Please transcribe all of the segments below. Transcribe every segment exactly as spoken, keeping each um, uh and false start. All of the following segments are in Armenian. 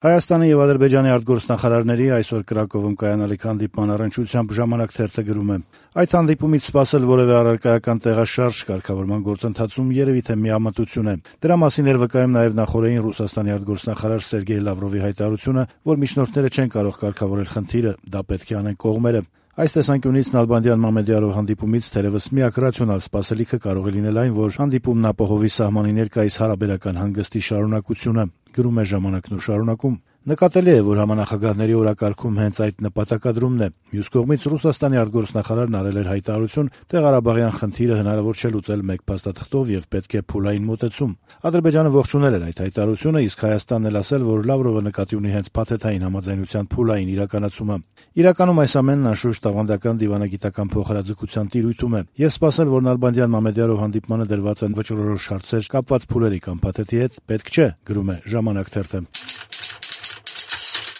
Հայաստանի եւ Ադրբեջանի արտգործնախարարների այսօր Կրակովում կայանալիք հանդիպման առնչությամբ «Ժամանակ» թերթը գրում է. «Այդ հանդիպումից սպասել որևէ առարկայական տեղաշարժ կարգավորման գործընթացում երևի թե միամտություն է։ Դրա մասին էր վկայում նաեւ նախօրեին Ռուսաստանի արտգործնախարար Սերգեյ Լավրովի հայտարարությունը, որ միջնորդները չեն կարող կարգավորել խնդիրը, դա պետք է անեն կողմերը։ Այս տեսանկյունից Նալբանդյան-Մամեդյարով հանդիպումից թերևս միակ ռացիոնալ սպասելիքը կարող է լինել այն, որ հանդիպումն ապահովի սահմանի ներկայիս հարաբերական հանգստի շարունակությունը», գրում է «Ժամանակն» ու շարունակում. «Նկատելի է, որ համանախագահների օրակարգում հենց այդ նպատակադրումն է։ Մյուս կողմից Ռուսաստանի արտգործնախարարն արել էր հայտարարություն, թե Ղարաբաղյան խնդիրը հնարավոր չէ լուծել մեկ փաստաթղթով եւ պետք է փուլային մոտեցում։ Ադրբեջանը ողջունել էր այդ հայտարարությունը, իսկ Հայաստանն էլ ասել, որ Լավրովը նկատի ունի հենց փաթեթային համաձայնության փուլային իրականացումը։ Իրականում այս ամենն անշուշտ տաղանդական դիվանագիտական փոխհրաձգության տիրույթում է, եւ սպասել, որ Նալբանդյան-Մամեդյարով հանդիպմանը դրված են վճռորոշ հարցեր կապված փուլերի կամ փաթեթի հետ, պետք չէ», գրում է «Ժամանակ» թերթը։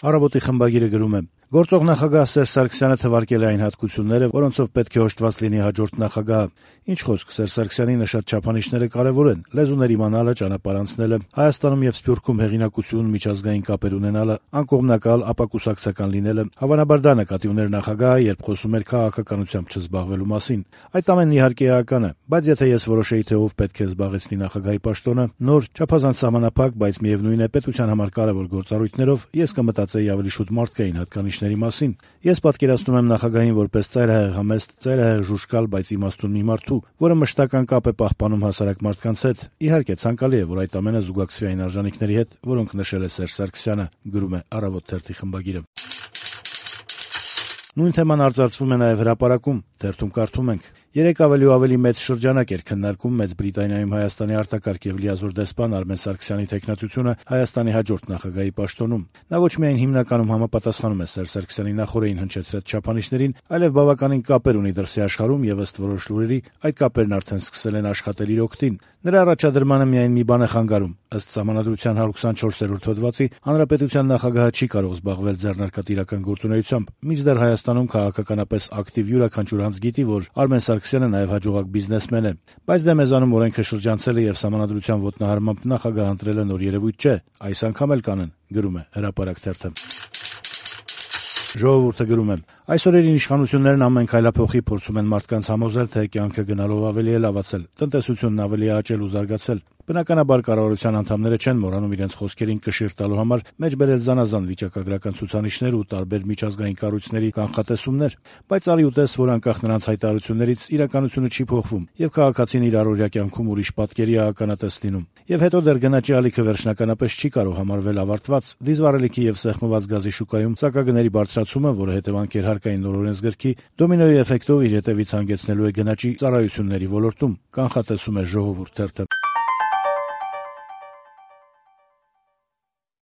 Առավոտի խմբագիրը գրում է. «Գործող նախագահ Սերժ Սարգսյանը թվարկել է այն հատկությունները, որոնցով պետք է օժտված լինի հաջորդ նախագահը։ Ինչ խոսք, Սերժ Սարգսյանի նշած չափանիշները կարևոր են՝ լեզուներ իմանալը, ճանապարհ անցնելը, Հայաստանում եւ Սփյուռքում հեղինակություն, միջազգային կապեր ունենալը, անկողմնակալ, ապակուսակցական լինելը։ Հավանաբար դա նկատի ուներ նախագահը, երբ խոսում էր քաղաքականությամբ չզբաղվելու մասին։ Այդ ամենն իհարկե էական է, բայց եթե ես որոշեի, թե ով պետք է զբաղեցնի նախագահի պաշտոնը, նոր, չափազանց սահմանափակ, բայց միևնույն է պետության համար կարևոր գործառույթներով, ես կմտածեի ավելի շուտ մարդկային հատկանիշների մասին։ Ես պատկերացնում եմ նախագահին որպես ծայրահեղ համեստ, ծայրահեղ ժուժկալ, բայց իմաստուն մի մարդու, որը մշտական կապ է պահպանում հասարակ մարդկանց հետ։ Իհարկե ցանկալի է, որ այդ ամենը զուգակցվի այն արժանինքների հետ, որոնք նշել է Սերժ Սարգսյանը», գրում է «Առավոտ» թերթի խմբագիրը։ Նույն թեման արծարծվում է նաև հրապարակում։ Թերթում կարդում ենք. «Երեք ավելի ու ավելի մեծ շրջանակ էր քննարկում Մեծ Բրիտանիայում Հայաստանի արտակարգ եւ լիազոր դեսպան Արմեն Սարգսյանի թեկնածությունը Հայաստանի հաջորդ նախագահի պաշտոնում։ Նա ոչ միայն հիմնականում համապատասխանում է Սերժ Սարգսյանի նախօրեին հնչեցրած չափանիշներին, այլև բավականին կապեր ունի դրսի աշխարհում եւ ըստ որոշ լուրերի այդ կապերն արդեն սկսել են աշխատել իր օգտին։ Նրա առաջադրմանը միայն մի բան է խանգարում. ըստ Սահմանադրության հարյուր քսանչորսերորդ հոդվածի հանրապետության նախագահը չի կարող զբաղվել ձեռնարկատիրական գործունեությամբ, մինչդեռ Հայաստանում քաղաքականապես ակտիվ յուրաքանչյուր անձ գիտի, որ Արմեն Սարգսյանը նաև հաջողակ բիզնեսմեն է։ Բայց դե մեզանում օրենքը շրջանցել է եւ Սահմանադրության ոտնահարմամբ նախագահ ընտրելը նոր երևույթ չէ, այս անգամ էլ կանեն», գրում է «Հրապարակ» թերթը։ Ժողովուրդը գրում է. «Այս օրերին իշխանություններն ամեն քայլափոխի փորձում են մարդկանց համոզել, թե կյանքը գնալով ավելի է լավացել, տնտեսությունն ավելի է աճել ու զարգացել։ Բնականաբար կառավարության անդամները չեն մոռանում իրենց խոսքերին կշիռ տալու համար մեջբերել զանազան վիճակագրական ցուցանիշներ ու տարբեր միջազգային կառույցների կանխատեսումներ, բայց արի ու տես, որ անկախ նրանց հայտարարություններից իրականությունը չի փոխվում եւ քաղաքացին իր առօրյա կյանքում ուրիշ պատկերի է ականատես լինում։ Եվ հետո դեռ գնաճի ալիքը վերջնականապես չի կարող համարվել ավարտված, դիզվառելիքի եւ սեղմված գազի շուկայում սակագների բարձրացումը, որը հետևանքեր հարկային նոր օրենսգրքի, դոմինոյի էֆեկտով իր հետևից հանգեցնելու է գնաճի ծառայությունների ոլորտում», կանխատեսում է «Ժողովուրդ» թերթը։